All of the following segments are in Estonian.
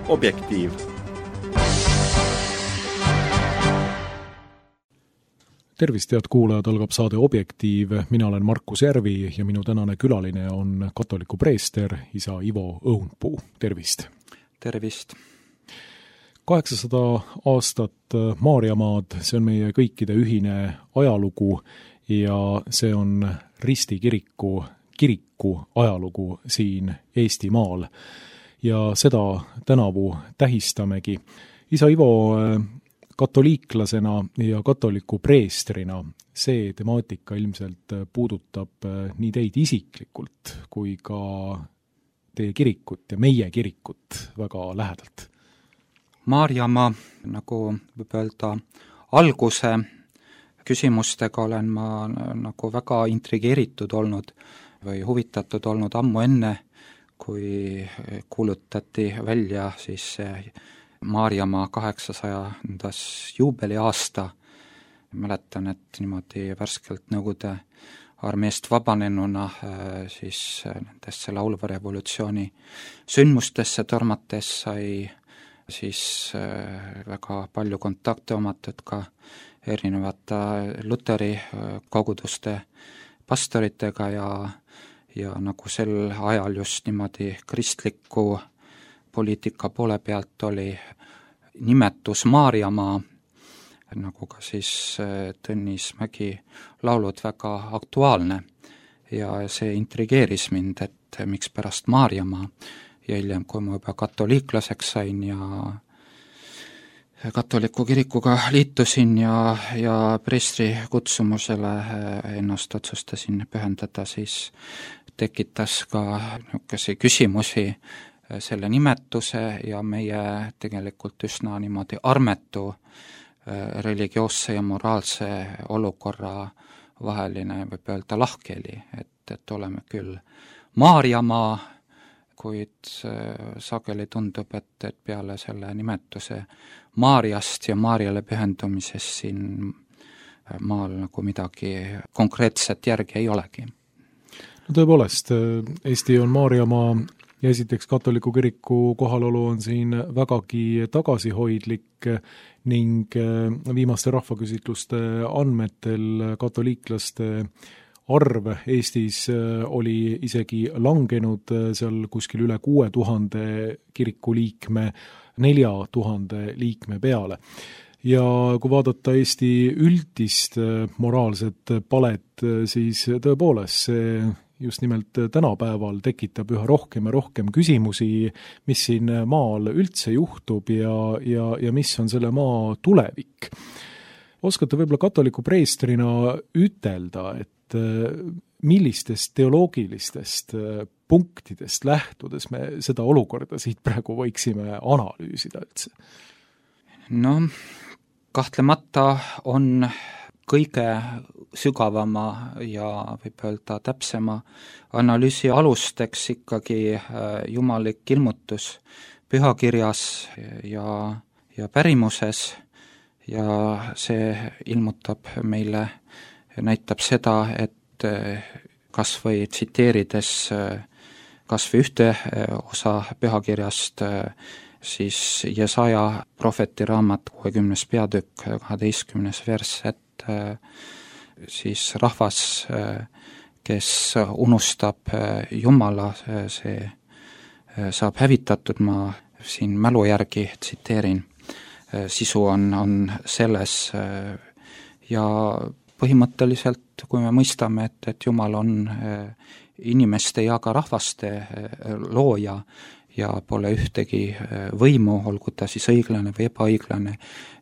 Objektiiv. Tervist, head kuulajad, algab saade Objektiiv. Mina olen Markus Järvi ja minu tänane külaline on katoliku preester isa Ivo Õunpuu. Tervist! Tervist! 800 aastat Maarjamaad, see on meie kõikide ühine ajalugu ja see on Risti kiriku ajalugu siin Eestimaal. Ja seda tänavu tähistamegi. Isa Ivo, katoliiklasena ja katoliku preestrina see temaatika ilmselt puudutab nii teid isiklikult kui ka teie kirikut ja meie kirikut väga lähedalt. Maarjamaa, nagu võib öelda, alguse küsimustega olen ma nagu väga intrigeeritud olnud või huvitatud olnud ammu enne, kui kuulutati välja siis Maarjamaa 800. juubeliaasta. Mäletan, et niimoodi värskelt Nõukogude armeest vabanenuna siis nendesse laulva revolutsiooni sündmustesse tormates sai siis väga palju kontakte omatud ka erinevate Luteri koguduste pastoritega ja nagu sel ajal just niimoodi kristliku poliitika poole pealt oli nimetus Maarjamaa, nagu ka siis Tõnis Mägi laulud väga aktuaalne ja see intrigeeris mind, et miks pärast Maarjamaa ja hiljem, kui ma juba katoliiklaseks sain ja katoliku kirikuga liitusin ja preestri kutsumusele ennast otsustasin pühendada, siis tekitas ka niisuguseid küsimusi selle nimetuse ja meie tegelikult üsna niimoodi armetu religioosse ja moraalse olukorra vaheline, võib öelda, lahkheli, et oleme küll Maarjamaa, kuid sageli tundub, et peale selle nimetuse Maarjast ja Maarjale pühendumisest siin maal nagu midagi konkreetset järgi ei olegi. No tõepoolest, Eesti on Maarjamaa ja esiteks katoliku kiriku kohalolu on siin vägagi tagasihoidlik ning viimaste rahvaküsitluste andmetel katoliiklaste arv Eestis oli isegi langenud seal kuskil üle 6000 kirikuliikme 4000 liikme peale. Ja kui vaadata Eesti üldist moraalset palet, siis tõepoolest see just nimelt tänapäeval tekitab üha rohkem ja rohkem küsimusi, mis siin maal üldse juhtub ja mis on selle maa tulevik. Oskate võib-olla katoliku preestrina ütelda, et millistest teoloogilistest punktidest lähtudes me seda olukorda siit praegu võiksime analüüsida üldse? No, kahtlemata on kõige sügavama ja võib öelda täpsema analüüsi alusteks ikkagi jumallik ilmutus pühakirjas ja pärimuses ja see ilmutab meile, näitab seda, et kas või tsiteerides kas või ühte osa pühakirjast, siis Jesaja prohveti raamat 60. peatükk 12. vers, et siis rahvas, kes unustab Jumala, see saab hävitatud, ma siin mälu järgi tsiteerin, sisu on selles ja põhimõtteliselt, kui me mõistame, et Jumal on inimeste ja ka rahvaste looja ja pole ühtegi võimu, olgu ta siis õiglane või ebaõiglane,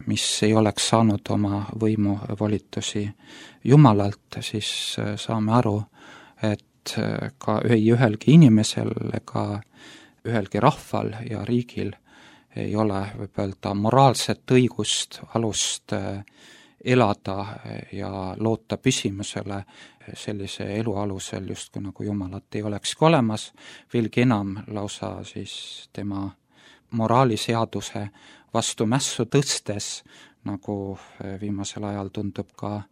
mis ei oleks saanud oma võimu volitusi Jumalalt, siis saame aru, et ka ühelgi inimesel ega ühelgi rahval ja riigil ei ole, võib öelda, moraalset õigust, alust elada ja loota püsimusele sellise elu alusel, justkui nagu Jumalat ei olekski olemas, veelgi enam lausa siis tema moraaliseaduse vastu mässu tõstes, nagu viimasel ajal tundub ka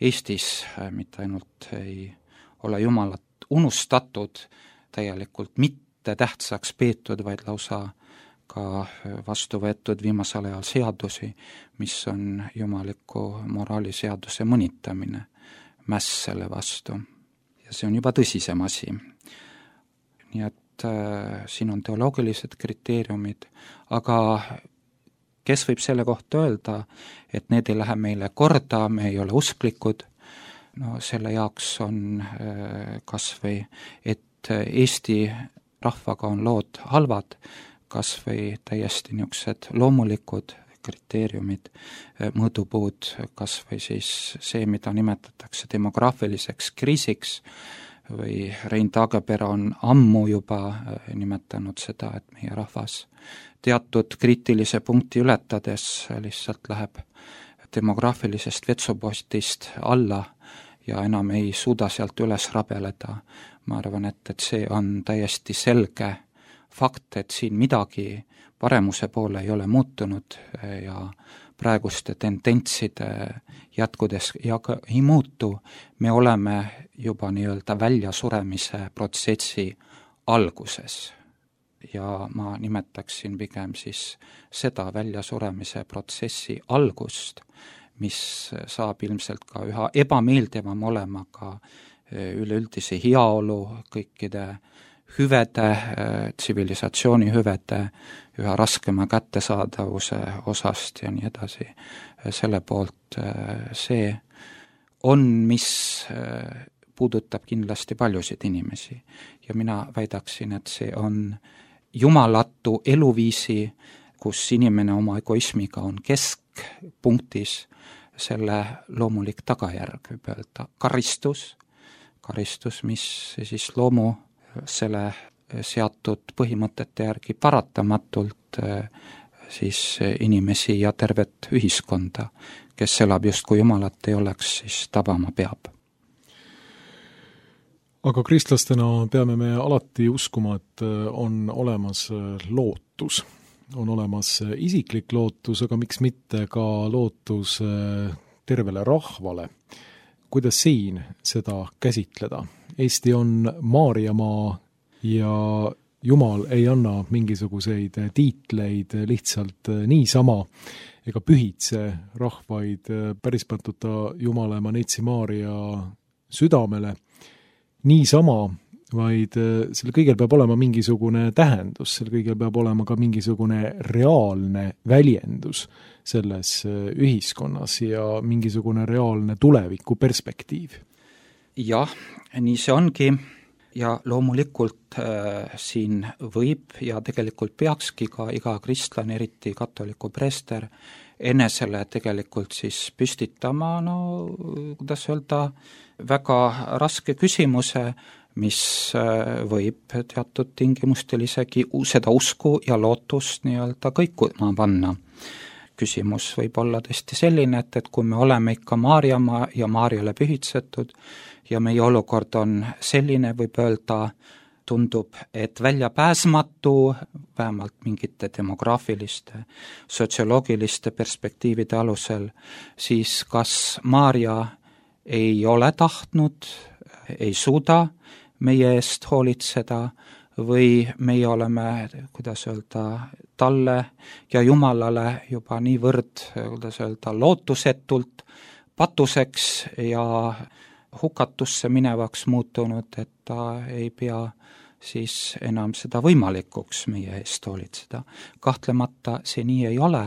Eestis, mitte ainult ei ole Jumalat unustatud, täielikult mitte tähtsaks peetud, vaid lausa ka vastu võetud viimasel ajal seadusi, mis on jumaliku moraaliseaduse mõnitamine, mäss selle vastu. Ja see on juba tõsisem asi. Nii et siin on teoloogilised kriteeriumid, aga kes võib selle kohta öelda, et need ei lähe meile korda, me ei ole usklikud, no selle jaoks on kas või, et Eesti rahvaga on lood halvad, kas või täiesti niisugused loomulikud kriteeriumid, mõõdupuud, kas või siis see, mida nimetatakse demograafiliseks kriisiks, või Rein Taagepera on ammu juba nimetanud seda, et meie rahvas teatud kriitilise punkti ületades lihtsalt läheb demograafilisest vetsupostist alla ja enam ei suuda sealt üles rabeleda. Ma arvan, et see on täiesti selge fakt, et siin midagi paremuse poole ei ole muutunud ja praeguste tendentside jätkudes ja ka ei muutu, me oleme juba nii-öelda väljasuremise protsessi alguses. Ja ma nimetaksin pigem siis seda väljasuremise protsessi algust, mis saab ilmselt ka üha ebameeldivam olema ka üleüldise heaolu, kõikide hüvede, tsivilisatsiooni hüvede, üha raskema kättesaadavuse osast ja nii edasi. Selle poolt see on, mis puudutab kindlasti paljusid inimesi. Ja mina väidaksin, et see on jumalatu eluviisi, kus inimene oma egoismiga on keskpunktis, selle loomulik tagajärg, võib öelda karistus, mis siis loomu selle seatud põhimõtete järgi paratamatult siis inimesi ja tervet ühiskonda, kes elab justkui Jumalat ei oleks, siis tabama peab. Aga kristlastena peame me alati uskuma, et on olemas lootus. On olemas isiklik lootus, aga miks mitte ka lootus tervele rahvale. Kuidas siin seda käsitleda? Eesti on Maarjamaa ja Jumal ei anna mingisuguseid tiitleid lihtsalt niisama ega pühitse rahvaid päris pantuta Jumala Manetsi Maaria südamele niisama, vaid selle kõigel peab olema mingisugune tähendus, selle kõigel peab olema ka mingisugune reaalne väljendus selles ühiskonnas ja mingisugune reaalne tulevikuperspektiiv. Jah, nii see ongi ja loomulikult siin võib ja tegelikult peakski ka iga kristlane, eriti katoliku preester, enesele tegelikult siis püstitama, kuidas öelda, väga raske küsimuse, mis võib teatud tingimustel isegi seda usku ja lootust nii-öelda kõikuma panna. Küsimus võib olla tõesti selline, et kui me oleme ikka Maarjamaa ja Maarjale pühitsetud ja meie olukord on selline, võib öelda, tundub, et väljapääsmatu, vähemalt mingite demograafiliste, sotsioloogiliste perspektiivide alusel, siis kas Maarja ei ole tahtnud, ei suuda meie eest hoolitseda või meie oleme, kuidas öelda, talle ja Jumalale juba niivõrd, kuidas öelda, lootusetult patuseks ja hukatusse minevaks muutunud, et ta ei pea siis enam seda võimalikuks meie eest hoolitseda. Kahtlemata see nii ei ole,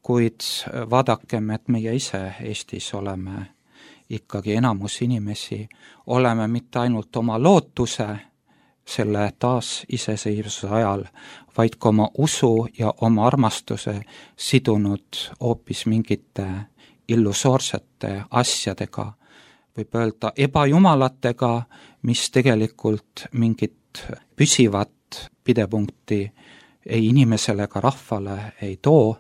kuid vaadakem, et meie ise Eestis oleme ikkagi enamus inimesi, oleme mitte ainult oma lootuse selle taas iseseisvuse ajal, vaid ka oma usu ja oma armastuse sidunud hoopis mingite illusoorsete asjadega, võib öelda ebajumalatega, mis tegelikult mingit püsivat pidepunkti ei inimesele ega rahvale ei too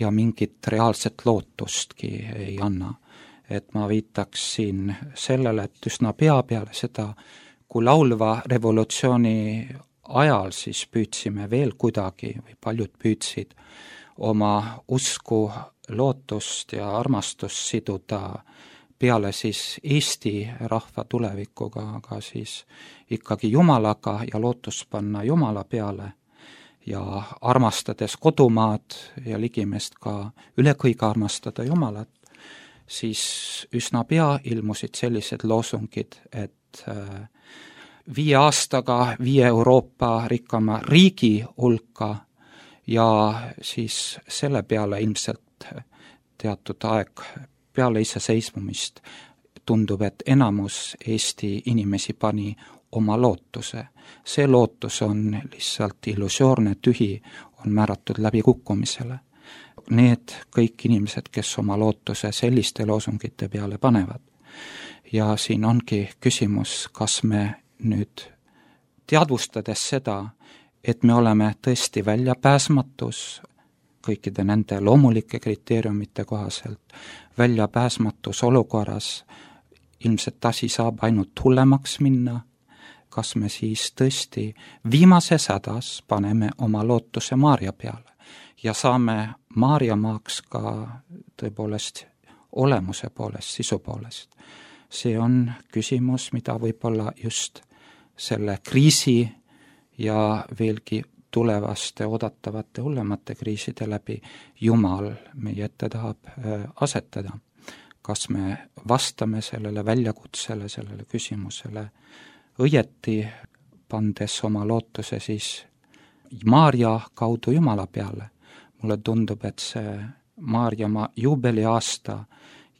ja mingit reaalset lootustki ei anna. Et ma viitaks siin sellele, et üsna pea peale seda, kui laulva revolutsiooni ajal siis püüdsime veel kuidagi või paljud püüdsid oma usku, lootust ja armastust siduda peale siis Eesti rahva tulevikuga, aga siis ikkagi Jumalaga ja lootust panna Jumala peale ja armastades kodumaad ja ligimest ka üle kõige armastada Jumalat, siis üsna pea ilmusid sellised loosungid, et 5 aastaga 5 Euroopa rikkama riigi hulka ja siis selle peale ilmselt teatud aeg peale iseseisvumist tundub, et enamus Eesti inimesi pani oma lootuse. See lootus on lihtsalt illusioorne, tühi, on määratud läbi kukkumisele. Need kõik inimesed, kes oma lootuse selliste loosungite peale panevad. Ja siin ongi küsimus, kas me nüüd teadvustades seda, et me oleme tõesti väljapääsmatus kõikide nende loomulike kriteeriumite kohaselt, väljapääsmatus olukorras, ilmselt asi saab ainult hullemaks minna, kas me siis tõesti viimases hädas paneme oma lootuse Maarja peale ja saame Maarjamaaks ka tõepoolest olemuse poolest, sisu poolest. See on küsimus, mida võib-olla just selle kriisi ja veelgi tulevaste oodatavate hullemate kriiside läbi Jumal meie ette tahab asetada. Kas me vastame sellele väljakutsele, sellele küsimusele õieti, pandes oma lootuse siis Maarja kaudu Jumala peale. Mulle tundub, et see Maarjamaa juubeliaasta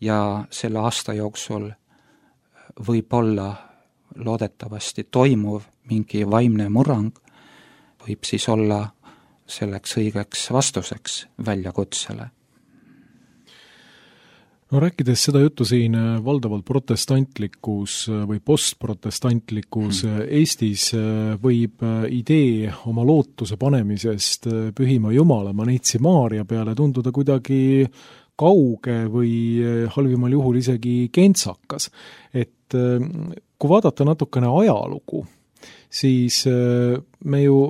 ja selle aasta jooksul võib olla loodetavasti toimuv mingi vaimne murrang, võib siis olla selleks õigeks vastuseks väljakutsele. No rääkides seda juttu siin valdavalt protestantlikus või postprotestantlikus Eestis võib idee oma lootuse panemisest pühima Jumala Neitsi Maarja peale tunduda kuidagi kauge või halvimal juhul isegi kentsakas. Et kui vaadata natukene ajalugu, siis me ju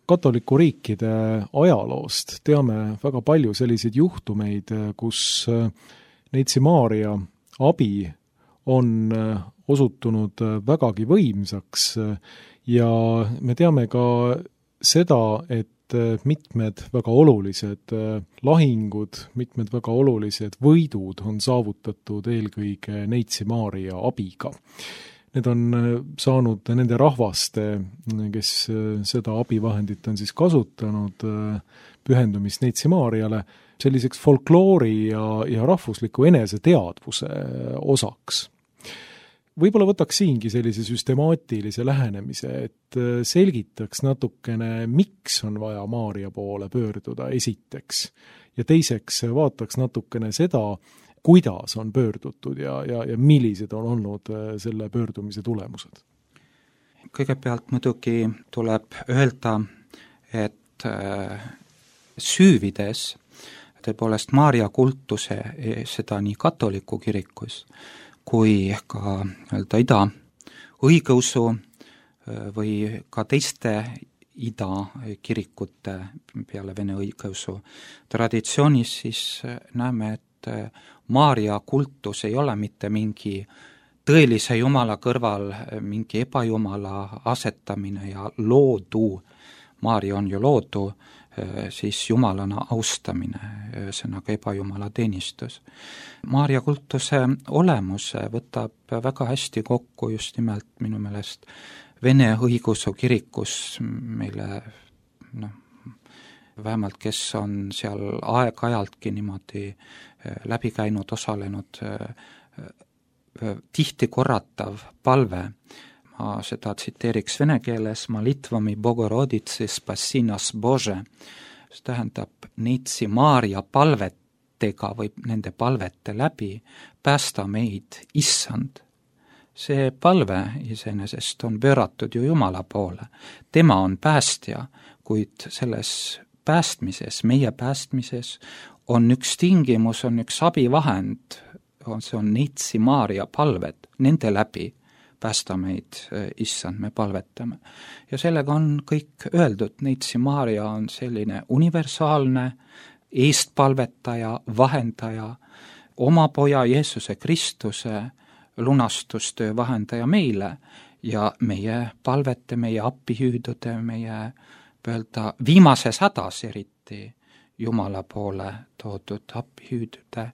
katoliku riikide ajaloost teame väga palju selliseid juhtumeid, kus Neitsi Maarja abi on osutunud vägagi võimsaks ja me teame ka seda, et mitmed väga olulised lahingud, mitmed väga olulised võidud on saavutatud eelkõige Neitsi Maarja abiga. Need on saanud nende rahvaste, kes seda abivahendit on siis kasutanud, pühendumist Neitsi Maarjale, selliseks folkloori ja rahvusliku eneseteadvuse osaks. Võib-olla võtaks siingi sellise süstemaatilise lähenemise, et selgitaks natukene, miks on vaja Maarja poole pöörduda esiteks ja teiseks vaataks natukene seda, kuidas on pöördutud ja millised on olnud selle pöördumise tulemused. Kõigepealt muidugi tuleb öelda, et süüvides tõepoolest Maarja kultuse seda nii katoliku kirikus kui ka ida õigeusu või ka teiste ida kirikute peale vene õigeusu traditsioonis, siis näeme, et Maarja kultus ei ole mitte mingi tõelise Jumala kõrval mingi ebajumala asetamine ja loodu, Maarja on ju loodu, siis jumalana austamine, ühesõnaga ebajumala teenistus. Maarja kultuse olemuse võtab väga hästi kokku just nimelt minu meelest Vene õigeusu kirikus meile, vähemalt kes on seal aeg-ajaltki niimoodi läbi käinud, osalenud, tihti korratav palve. Ma seda tsiteeriks vene keeles, Malitvami Bogoroditsi Spasinas Bože, see tähendab Neitsi Maarja palvetega või nende palvete läbi päästa meid Issand. See palve iseenesest on pööratud ju Jumala poole. Tema on päästja, kuid selles päästmises, meie päästmises on üks tingimus, on üks abivahend, see on Neitsi Maarja palved, nende läbi päästa meid, issand, me palvetame. Ja sellega on kõik öeldud, Neitsi Maarja on selline universaalne eestpalvetaja, vahendaja, oma poja Jeesuse Kristuse lunastustöö vahendaja meile ja meie palvete, meie appihüüdude, meie öelda viimases hädas eriti Jumala poole toodud appihüüdude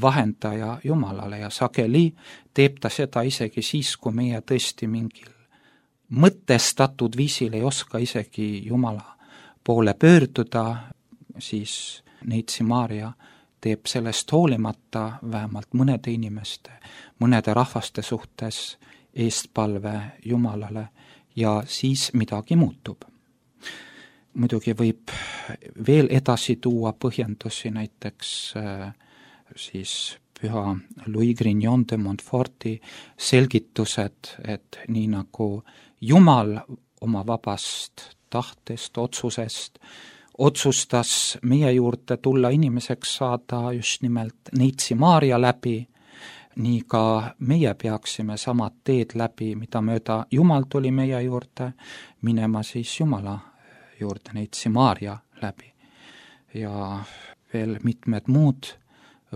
vahendaja Jumalale ja sageli teeb ta seda isegi siis, kui meie tõesti mingil mõtestatud viisil ei oska isegi Jumala poole pöörduda, siis Neitsi Maarja teeb sellest hoolimata vähemalt mõnede inimeste, mõnede rahvaste suhtes eestpalve Jumalale ja siis midagi muutub. Muidugi võib veel edasi tuua põhjendusi, näiteks siis püha Louis Grignon de Montforti selgitused, et nii nagu Jumal oma vabast tahtest, otsusest otsustas meie juurde tulla inimeseks saada just nimelt Neitsi Maarja läbi, nii ka meie peaksime samad teed läbi, mida mööda Jumal tuli meie juurde, minema siis Jumala juurde Neitsi Maarja läbi. Ja veel mitmed muud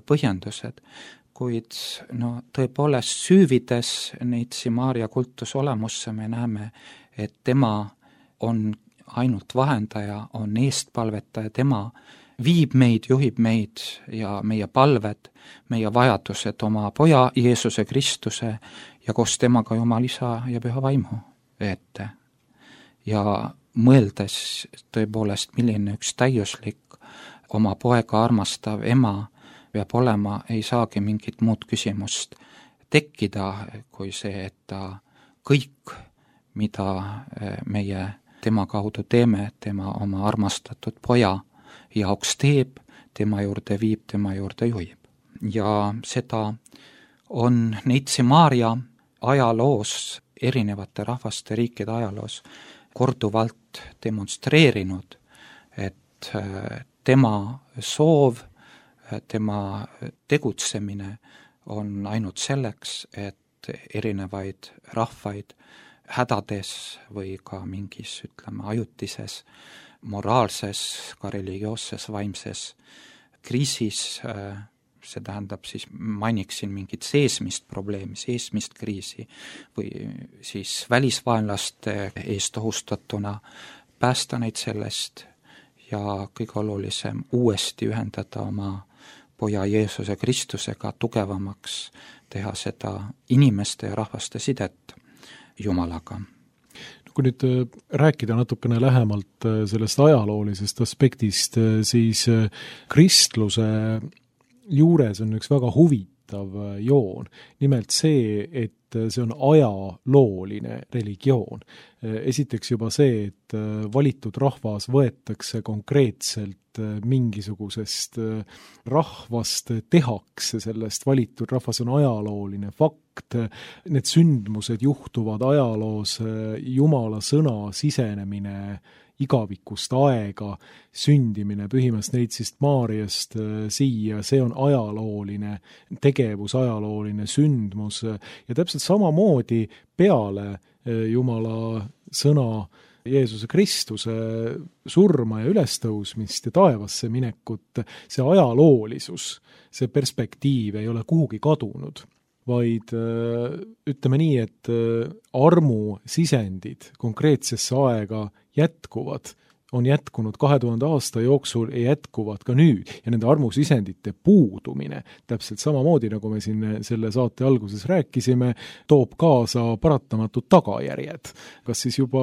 põhjendused, kuid tõepoolest süüvides Neitsi Maarja kultusolemusse me näeme, et tema on ainult vahendaja, on eestpalvetaja, tema viib meid, juhib meid ja meie palved, meie vajadused oma poja Jeesuse Kristuse ja koos temaga Jumal Isa ja Püha Vaimu ette. Ja mõeldes tõepoolest, milline üks täiuslik oma poega armastav ema peab olema, ei saagi mingit muud küsimust tekkida kui see, et ta kõik, mida meie tema kaudu teeme, tema oma armastatud poja jaoks teeb, tema juurde viib, tema juurde juhib. Ja seda on Neitsi Maarja ajaloos, erinevate rahvaste riikide ajaloos korduvalt demonstreerinud, et tema soov, tema tegutsemine on ainult selleks, et erinevaid rahvaid hädades või ka mingis, ajutises, moraalses, ka religioosses, vaimses kriisis, see tähendab siis, mainiksin mingit seesmist probleemi, seesmist kriisi või siis välisvaenlaste eest ohustatuna päästa neid sellest ja kõige olulisem uuesti ühendada oma poja Jeesuse Kristusega tugevamaks, teha seda inimeste ja rahvaste sidet Jumalaga. Kui nüüd rääkida natukene lähemalt sellest ajaloolisest aspektist, siis kristluse juures on üks väga huvitav joon. Nimelt see, et see on ajalooline religioon. Esiteks juba see, et valitud rahvas võetakse konkreetselt mingisugusest rahvast, tehakse sellest valitud rahvas, on ajalooline fakt. Need sündmused juhtuvad ajaloos, Jumala sõna sisenemine igavikust aega, sündimine Pühimast Neitsist Maarjast siia, see on ajalooline tegevus, ajalooline sündmus ja täpselt samamoodi peale Jumala sõna Jeesuse Kristuse surma ja ülestõusmist ja taevasse minekut, see ajaloolisus, see perspektiiv ei ole kuhugi kadunud, vaid ütleme nii, et armusisendid konkreetsesse aega jätkuvad, on jätkunud 2000 aasta jooksul ja jätkuvad ka nüüd. Ja nende armusisendite puudumine, täpselt samamoodi, nagu me siin selle saate alguses rääkisime, toob kaasa paratamatud tagajärjed. Kas siis juba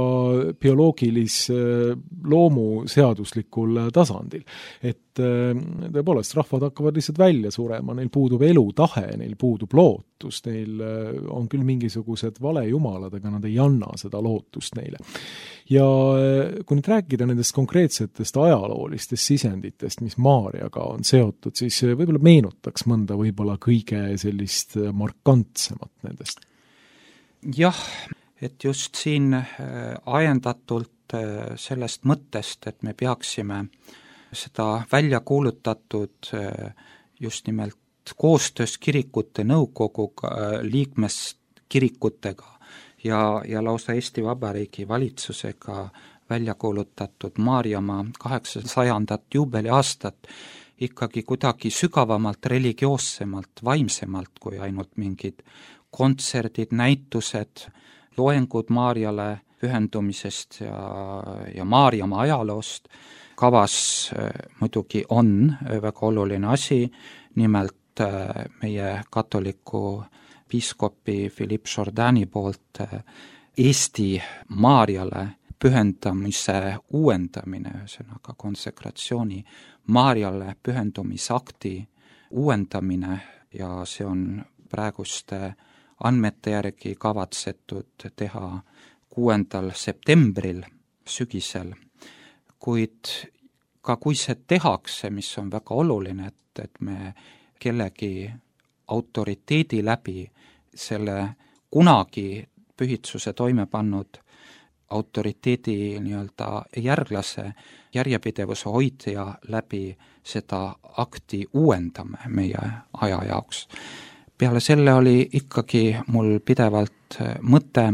loomuseaduslikul tasandil. Et tõepoolest, rahvad hakkavad lihtsalt välja surema, neil puudub elutahe, neil puudub lootus, neil on küll mingisugused valejumalad, aga nad ei anna seda lootust neile. Ja kui nüüd rääkida nendest konkreetsetest ajaloolistest sisenditest, mis Maarjaga on seotud, siis võib-olla meenutaks mõnda võib-olla kõige sellist markantsemat nendest. Jah, et just siin ajendatult sellest mõttest, et me peaksime seda välja kuulutatud just nimelt koostöös kirikute nõukoguga, liikmeskirikutega ja lausa Eesti Vabariigi valitsusega välja kuulutatud Maarjamaa 800. juubeliaastat ikkagi kuidagi sügavamalt, religioossemalt, vaimsemalt kui ainult mingid kontserdid, näitused, loengud Maarjale pühendumisest ja Maarjamaa ajaloost. Kavas muidugi on väga oluline asi, nimelt meie katoliku piiskopi Philippe Jourdani poolt Eesti Maarjale pühendamise uuendamine, ühesõnaga konsekratsiooni Maarjale pühendumisakti uuendamine ja see on praeguste andmete järgi kavatsetud teha 6. septembril, sügisel, kuid ka kui see tehakse, mis on väga oluline, et me kellegi autoriteedi läbi selle kunagi pühitsuse toime pannud autoriteedi nii-öelda järglase, järjepidevuse hoidja läbi seda akti uuendame meie aja jaoks. Peale selle oli ikkagi mul pidevalt mõte,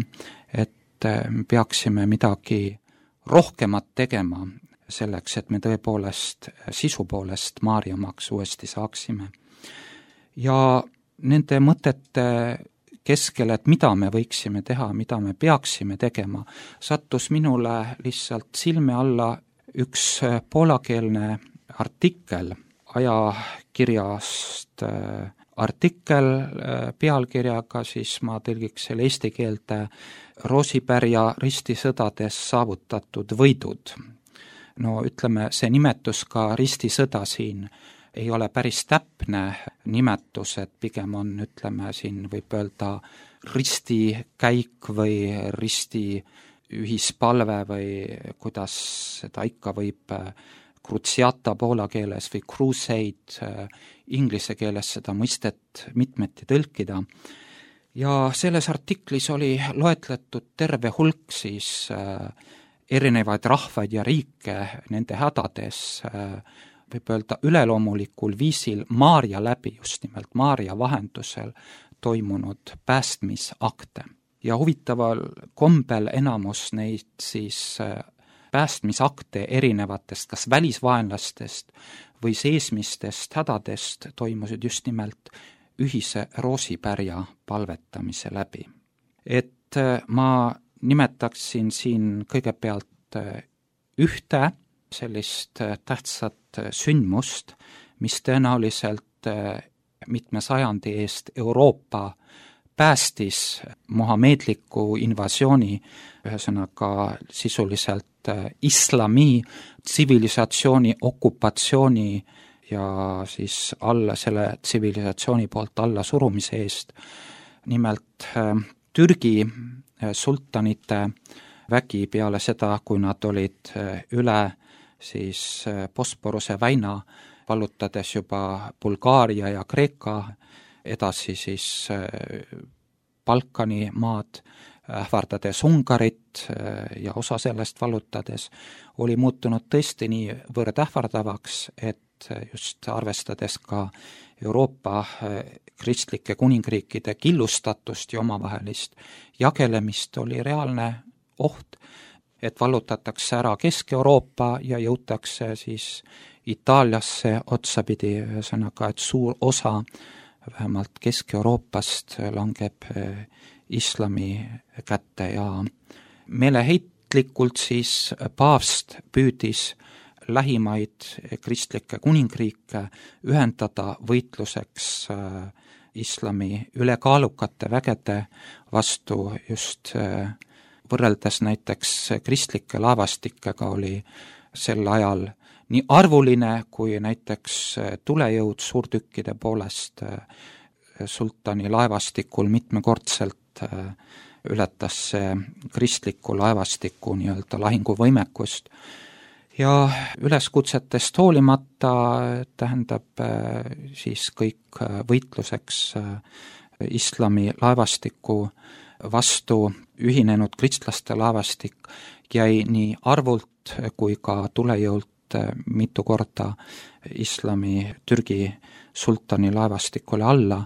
et me peaksime midagi rohkemat tegema selleks, et me tõepoolest sisu poolest Maarjamaaks uuesti saaksime. Ja nende mõtete keskel, et mida me võiksime teha, mida me peaksime tegema, sattus minule lihtsalt silme alla üks poolakeelne artikkel ajakirjast, artikkel pealkirjaga, siis ma tõlgiks selle eesti keelde Roosipärja ristisõdades saavutatud võidud. No ütleme, see nimetus ka ristisõda siin ei ole päris täpne nimetus, et pigem on, ütleme, siin võib öelda ristikäik või risti ühispalve või kuidas seda ikka võib cruciata poola keeles või crusade inglise keeles seda mõistet mitmeti tõlkida. Ja selles artiklis oli loetletud terve hulk siis erinevaid rahvaid ja riike nende hädades, võib öelda üleloomulikul viisil Maarja läbi, just nimelt Maarja vahendusel toimunud päästmisakte. Ja huvitaval kombel enamus neid siis päästmisakte erinevatest kas välisvaenlastest või seesmistest hädadest toimusid just nimelt ühise Roosipärja palvetamise läbi. Et ma nimetaksin siin kõigepealt ühte sellist tähtsat sündmust, mis tõenäoliselt mitme sajandi eest Euroopa päästis mohameedliku invasiooni, ühesõnaga sisuliselt islami tsivilisatsiooni okupatsiooni ja siis selle tsivilisatsiooni poolt alla surumise eest. Nimelt Türgi sultanite vägi peale seda, kui nad olid üle siis Bosporuse väina, vallutades juba Bulgaaria ja Kreeka, edasi siis Balkani maad, ähvardades Ungarit ja osa sellest vallutades, oli muutunud tõesti niivõrd ähvardavaks, et just arvestades ka Euroopa kristlike kuningriikide killustatust ja omavahelist jagelemist, oli reaalne oht, et vallutatakse ära Kesk-Euroopa ja jõutakse siis Itaaliasse otsapidi, ühesõnaga, et suur osa vähemalt Kesk-Euroopast langeb islami kätte ja meeleheitlikult siis paavst püüdis lähimaid kristlikke kuningriike ühendada võitluseks islami ülekaalukate vägede vastu. Just võrreldes näiteks kristlike laevastikega oli sel ajal nii arvuline kui näiteks tulejõud suurtükkide poolest sultani laevastikul mitmekordselt ületas see kristliku laevastiku nii-öelda lahinguvõimekust. Ja üleskutsetest hoolimata tähendab siis kõik võitluseks islami laevastiku vastu ühinenud kristlaste laevastik jäi nii arvult kui ka tulejõult mitu korda islami Türgi sultani laevastikule alla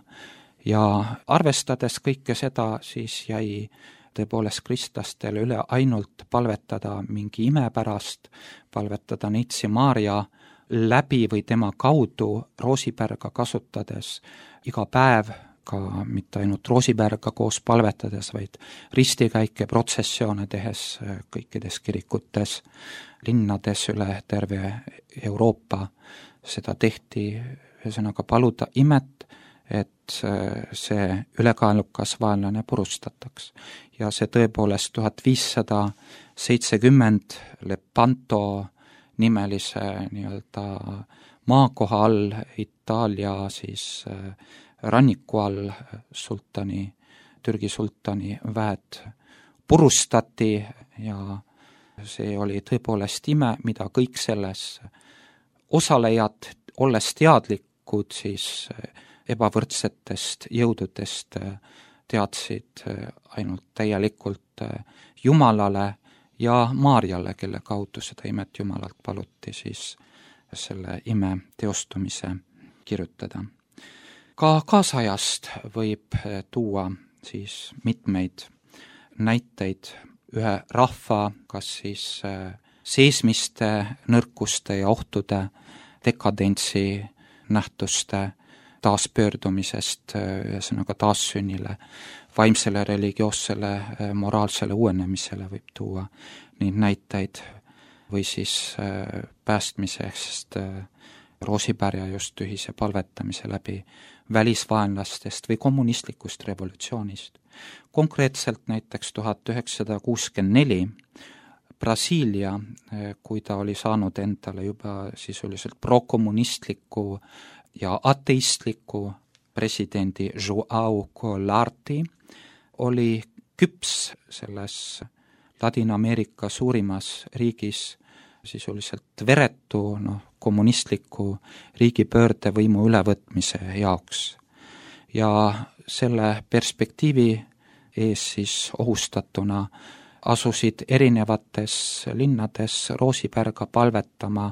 ja arvestades kõike seda, siis jäi tõepoolest kristlastele üle ainult palvetada mingi ime pärast, palvetada Neitsi Maarja läbi või tema kaudu Roosipärga kasutades iga päev, ka mitte ainult Roosipärga koos palvetades, vaid ristikäike, protsessioone tehes kõikides kirikutes, linnades üle terve Euroopa. Seda tehti, ühesõnaga paluda imet, et see ülekaalukas vaenlane purustataks. Ja see tõepoolest 1570 Lepanto nimelise nii-öelda maakoha all Itaalia siis ranniku all Türgi sultani väed purustati ja see oli tõepoolest ime, mida kõik selles osalejad, olles teadlikud siis ebavõrdsetest jõududest, teadsid ainult täielikult Jumalale ja Maarjale, kelle kaudu seda imet Jumalalt paluti siis selle ime teostumise kirjutada. Ka kaasajast võib tuua siis mitmeid näiteid ühe rahva, kas siis seesmiste nõrkuste ja ohtude, dekadentsi nähtuste taaspöördumisest, ühesõnaga taassünnile, vaimsele, religioossele, moraalsele uuenemisele võib tuua neid näiteid, või siis päästmisest Roosipärja just ühise palvetamise läbi välisvaenlastest või kommunistlikust revolutsioonist. Konkreetselt näiteks 1964 Brasiilia, kui ta oli saanud endale juba sisuliselt prokommunistliku ja ateistliku presidendi João Goulart, oli küps selles Ladina-Ameerika suurimas riigis sisuliselt veretu kommunistliku riigipöördevõimu ülevõtmise jaoks. Ja selle perspektiivi ees siis ohustatuna asusid erinevates linnades Roosipärga palvetama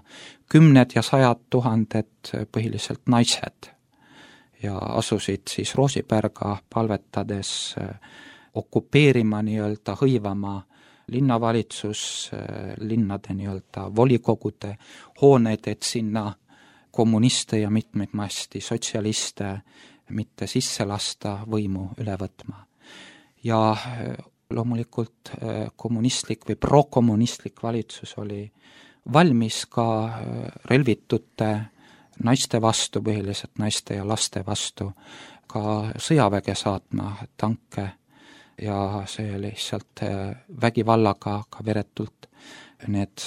kümned ja sajad tuhanded põhiliselt naised ja asusid siis Roosipärga palvetades okupeerima nii-öelda, hõivama linnavalitsus, linnade nii-öelda volikogude hooneid, et sinna kommuniste ja mitmeid masti sotsialiste mitte sisse lasta võimu üle võtma. Ja loomulikult kommunistlik või prokommunistlik valitsus oli valmis ka relvitute naiste vastu, põhiliselt naiste ja laste vastu, ka sõjaväge saatma tanke ja see lihtsalt vägivallaga ka veretult need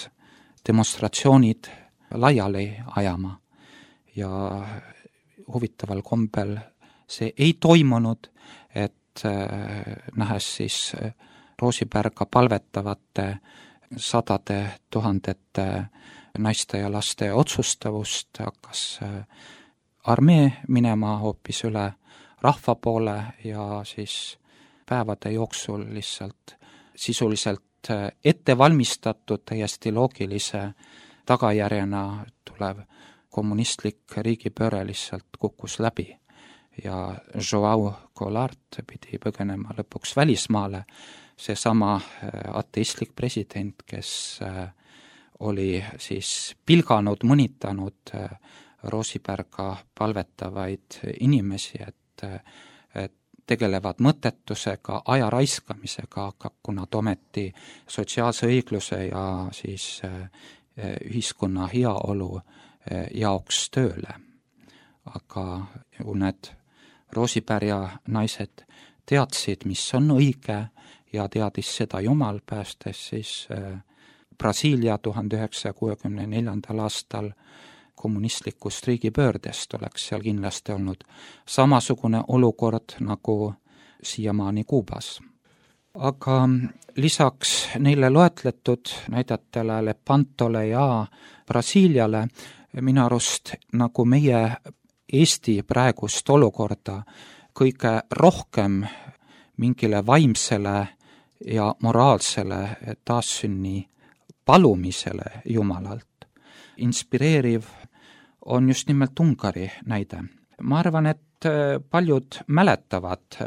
demonstratsioonid laiali ajama. Ja huvitaval kombel see ei toimunud, et nähes siis Roosipärga palvetavate sadade tuhandete naiste ja laste otsustavust, hakkas armee minema hoopis üle rahva poole ja siis päevade jooksul lihtsalt sisuliselt ettevalmistatud täiesti loogilise tagajärjena tulev kommunistlik riigipööre lihtsalt kukkus läbi ja João Goulart pidi põgenema lõpuks välismaale, seesama ateistlik president, kes oli siis pilganud, mõnitanud Roosipärga palvetavaid inimesi, et tegelevad mõttetusega, aja raiskamisega, kui nad ometi sotsiaalse õigluse ja siis ühiskonna heaolu jaoks tööle. Aga need Roosipärja naised teadsid, mis on õige ja teadis seda Jumal, päästes siis Brasiilia 1964. aastal kommunistlikust riigipöördest, oleks seal kindlasti olnud samasugune olukord nagu siiamaani Kuubas. Aga lisaks neile loetletud näidetele Lepantole ja Brasiiliale minu arust nagu meie Eesti praegust olukorda kõige rohkem mingile vaimsele ja moraalsele taassünni palumisele Jumalalt inspireeriv on just nimelt Ungari näide. Ma arvan, et paljud mäletavad,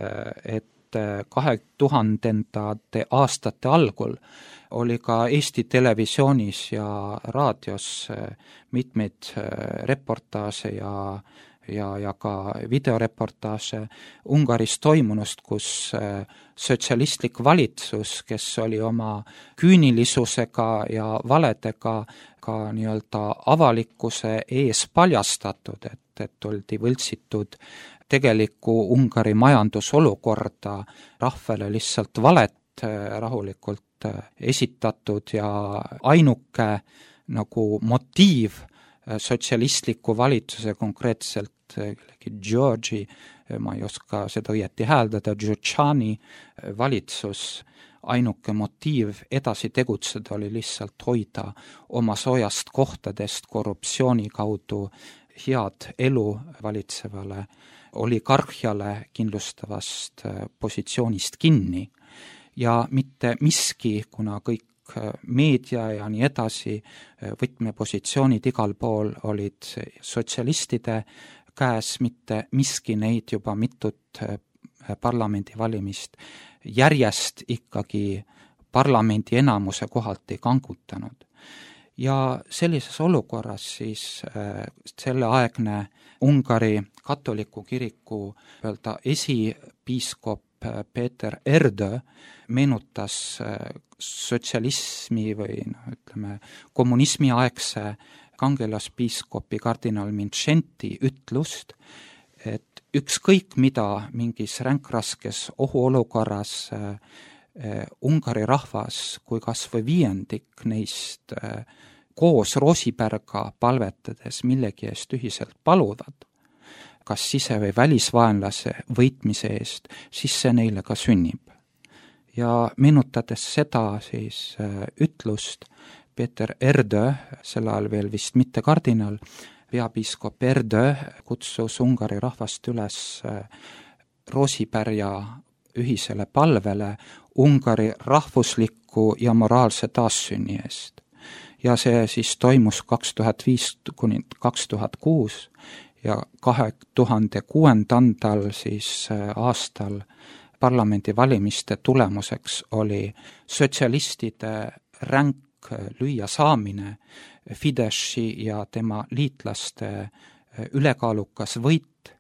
et 2000ndate aastate algul oli ka Eesti televisioonis ja raadios mitmeid reportaaže ja ka videoreportaaže Ungaris toimunust, kus sotsialistlik valitsus, kes oli oma küünilisusega ja valedega ka nii-öelda avalikkuse ees paljastatud, et oldi võltsitud tegelikku Ungari majandusolukorda, rahvale lihtsalt valet rahulikult esitatud ja ainuke nagu motiiv sotsialistliku valitsuse, konkreetselt Georgi, ma ei oska seda õieti hääldada, Giugiani valitsus, ainuke motiiv edasi tegutseda oli lihtsalt hoida oma soojast kohtadest korruptsiooni kaudu head elu valitsevale oligarhiale kindlustavast positsioonist kinni ja mitte miski, kuna kõik meedia ja nii edasi, võtmepositsioonid igal pool olid sotsialistide käes, mitte miski neid juba mitut parlamendivalimist järjest ikkagi parlamendi enamuse kohalt ei kangutanud. Ja sellises olukorras siis selleaegne Ungari katoliku kiriku esipiiskop Peeter Erdő meenutas sotsialismi või ütleme, kommunismi aegse kangelaspiiskopi kardinal Mindszenty ütlust, et ükskõik mida mingis ränkraskes ohuolukorras Ungari rahvas, kui kas või viiendik neist koos Roosipärga palvetades millegi eest ühiselt paluvad, kas sise- või välisvaenlase võitmise eest, siis see neile ka sünnib. Ja meenutades seda siis ütlust, Peeter Erdő, sel ajal veel vist mitte kardinal, peapiiskop Erdő kutsus Ungari rahvast üles Roosipärja ühisele palvele Ungari rahvusliku ja moraalse taassünni eest. Ja see siis toimus 2005 kuni 2006 ja 2006. siis aastal parlamendivalimiste tulemuseks oli sotsialistide ränk lüüasaamine, Fideszi ja tema liitlaste ülekaalukas võit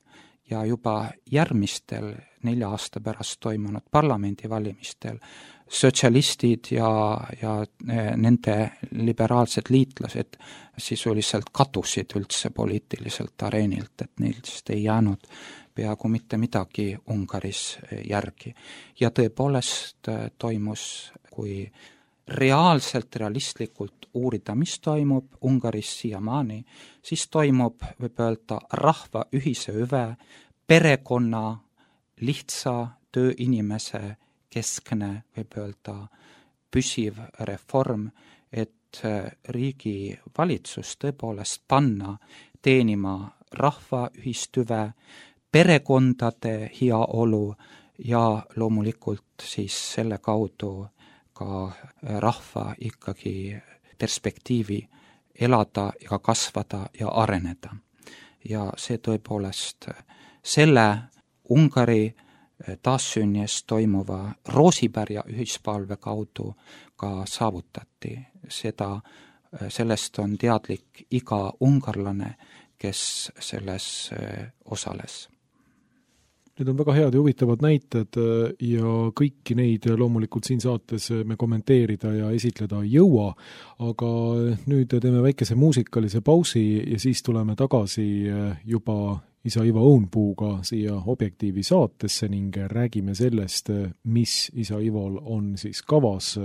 ja juba järgmistel 4 aasta pärast toimunud parlamendivalimistel sotsialistid ja nende liberaalsed liitlased sisuliselt kadusid üldse poliitiliselt areenilt, et neist ei jäänud peaaegu mitte midagi Ungaris järgi. Ja tõepoolest toimus, kui realistlikult uurida, mis toimub Ungaris siiamaani, siis toimub, võib öelda, rahva ühise hüve, perekonna, lihtsa tööinimese keskne, võib öelda, püsiv reform, et riigi valitsus tõepoolest panna teenima rahva ühist hüve, perekondade heaolu ja loomulikult siis selle kaudu ka rahva ikkagi perspektiivi elada ja kasvada ja areneda. Ja see tõepoolest selle Ungari taassünni eest toimuva Roosipärja ühispalve kaudu ka saavutati. Sellest on teadlik iga ungarlane, kes selles osales. Need on väga head ja huvitavad näited ja kõiki neid loomulikult siin saates me kommenteerida ja esitleda ei jõua, aga nüüd teeme väikese muusikalise pausi ja siis tuleme tagasi juba isa Ivo Õunpuuga siia Objektiivi saatesse ning räägime sellest, mis isa Ivol on siis kavas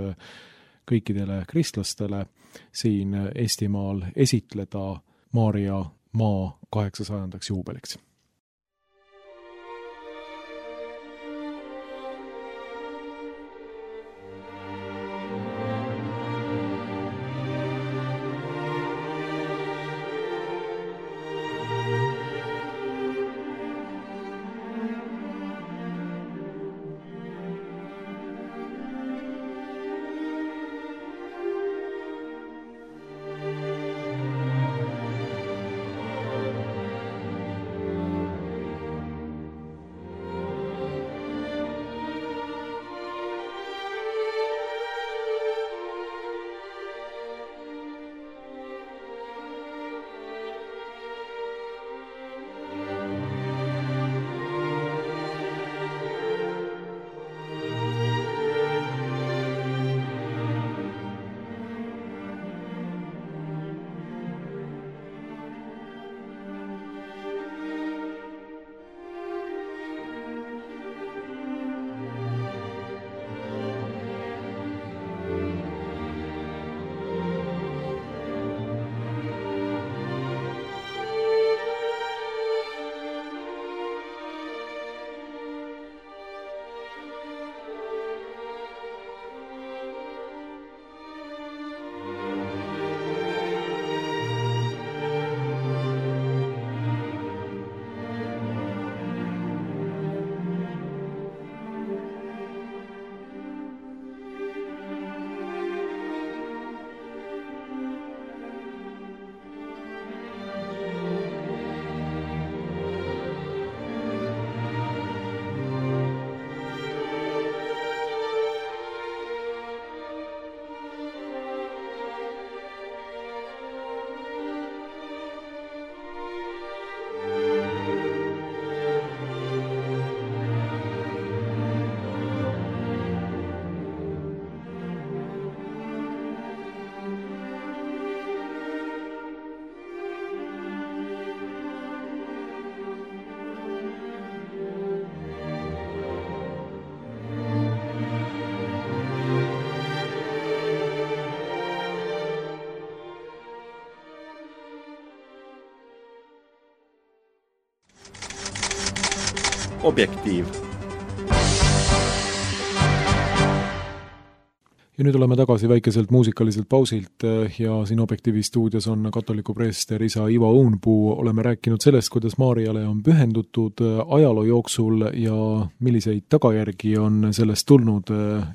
kõikidele kristlastele siin Eestimaal esitleda Maarja maa 800. juubeliks. Objektiiv. Ja nüüd oleme tagasi väikeselt muusikaliselt pausilt ja siin Objektiivi stuudios on katoliku preester isa Ivo Õunpuu. Oleme rääkinud sellest, kuidas Maarjale on pühendutud ajaloo jooksul ja milliseid tagajärgi on sellest tulnud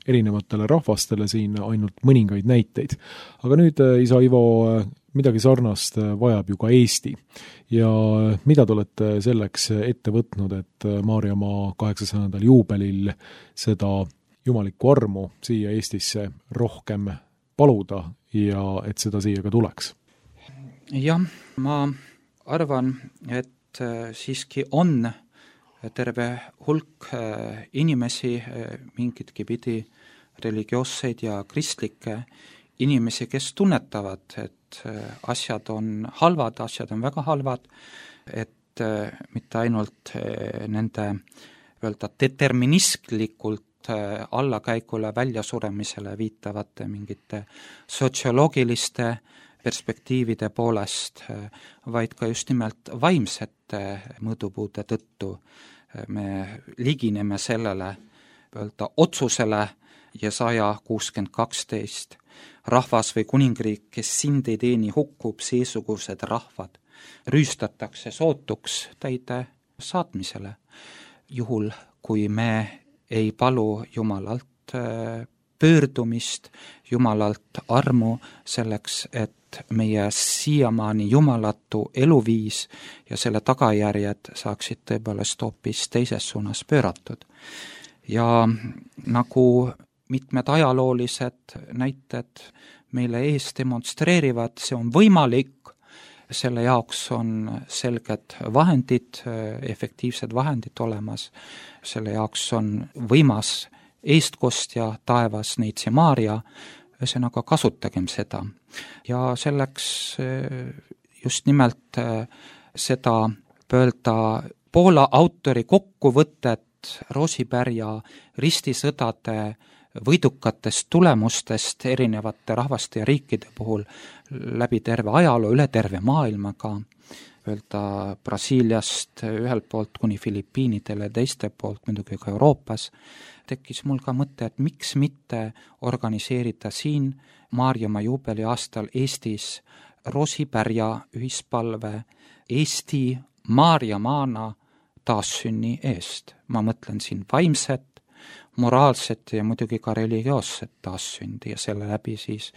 erinevatele rahvastele, siin ainult mõningaid näiteid. Aga nüüd, isa Ivo, midagi sarnast vajab ju ka Eesti. Ja mida te olete selleks ette võtnud, et Maarjamaa 800. juubelil seda jumalikku armu siia Eestisse rohkem paluda ja et seda siia ka tuleks? Jah, ma arvan, et siiski on terve hulk inimesi mingitki pidi religioosseid ja kristlikke inimesi, kes tunnetavad, et asjad on halvad, asjad on väga halvad, et mitte ainult nende deterministlikult allakäigule, väljasuremisele viitavate mingite sotsioloogiliste perspektiivide poolest, vaid ka just nimelt vaimsete mõõdupuude tõttu me ligineme sellele otsusele Jesaja 60:12. Rahvas või kuningriik, kes sind ei teeni, hukkub, seesugused rahvad rüüstatakse sootuks täide saatmisele. Juhul, kui me ei palu Jumalalt pöördumist, Jumalalt armu selleks, et meie siiamaani jumalatu eluviis ja selle tagajärjed saaksid tõepoolest hoopis teises suunas pööratud. Ja nagu mitmed ajaloolised näited meile ees demonstreerivad, see on võimalik, selle jaoks on selged vahendid, efektiivsed vahendid olemas, selle jaoks on võimas eestkostja taevas Neitsi Maarja, ühesõnaga kasutagem seda. Ja selleks just nimelt seda pöölda Poola autori kokkuvõtet Roosipärja ristisõdade võidukatest tulemustest erinevate rahvaste ja riikide puhul läbi terve ajaloo, üle terve maailma ka, öelda Brasiiliast ühelt poolt kuni Filipiinidele, teiste poolt muidugi ka Euroopas, tekkis mul ka mõte, et miks mitte organiseerida siin Maarjamaa juubeli aastal Eestis Roosipärja ühispalve Eesti Maarjamaana taassünni eest. Ma mõtlen siin vaimset, moraalset ja muidugi ka religioosset taassündi ja selle läbi siis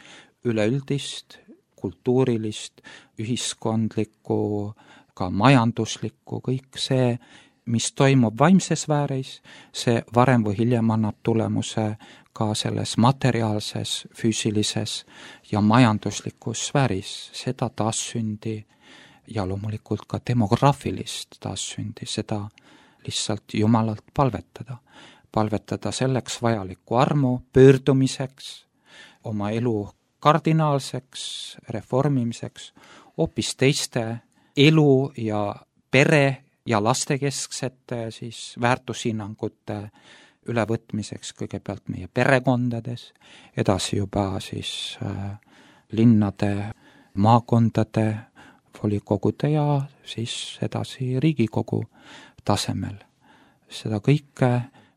üleüldist, kultuurilist, ühiskondlikku, ka majanduslikku, kõik see, mis toimub vaimses sfääris, see varem või hiljem annab tulemuse ka selles materiaalses, füüsilises ja majanduslikus sfääris, seda taassündi ja loomulikult ka demograafilist taassündi, seda lihtsalt Jumalalt palvetada selleks vajalikku armu, pöördumiseks, oma elu kardinaalseks reformimiseks, hoopis teiste elu ja pere ja lastekesksete siis väärtushinnangute ülevõtmiseks kõigepealt meie perekondades, edasi juba siis linnade, maakondade, volikogude ja siis edasi Riigikogu tasemel. Seda kõike,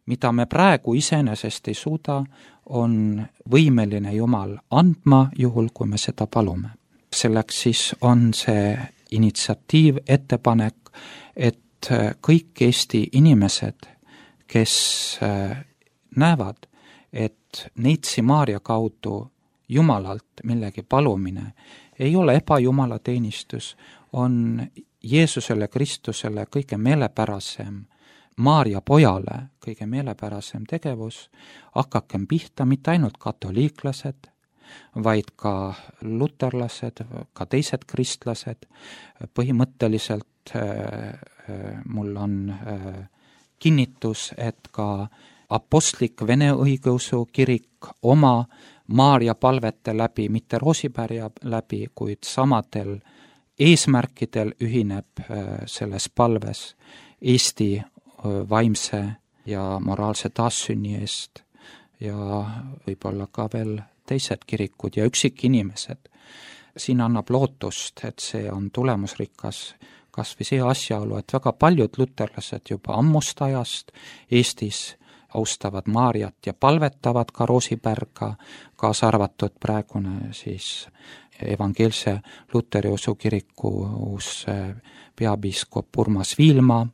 mida me praegu iseenesest ei suuda, on võimeline Jumal andma, juhul kui me seda palume. Selleks siis on see initsiatiiv, ettepanek, et kõik Eesti inimesed, kes näevad, et Neitsi Maarja kaudu Jumalalt millegi palumine ei ole ebajumala teenistus, on Jeesusele Kristusele kõige meelepärasem, Maarja pojale kõige meelepärasem tegevus, hakakem pihta mitte ainult katoliiklased, vaid ka luterlased, ka teised kristlased. Põhimõtteliselt mul on kinnitus, et ka apostlik Vene õigeusu kirik oma Maarja palvete läbi, mitte Roosipärja läbi, kuid samadel eesmärkidel ühineb selles palves Eesti vaimse ja moraalse taassünni eest ja võib-olla ka veel teised kirikud ja üksikinimesed. Siin annab lootust, et see on tulemusrikas, kas või see asjaolu, et väga paljud luterlased juba ammust ajast Eestis austavad Maarjat ja palvetavad ka Roosipärga, kaasa arvatud praegune siis evangeelse Luteri usukiriku uus peapiiskop Urmas Viilma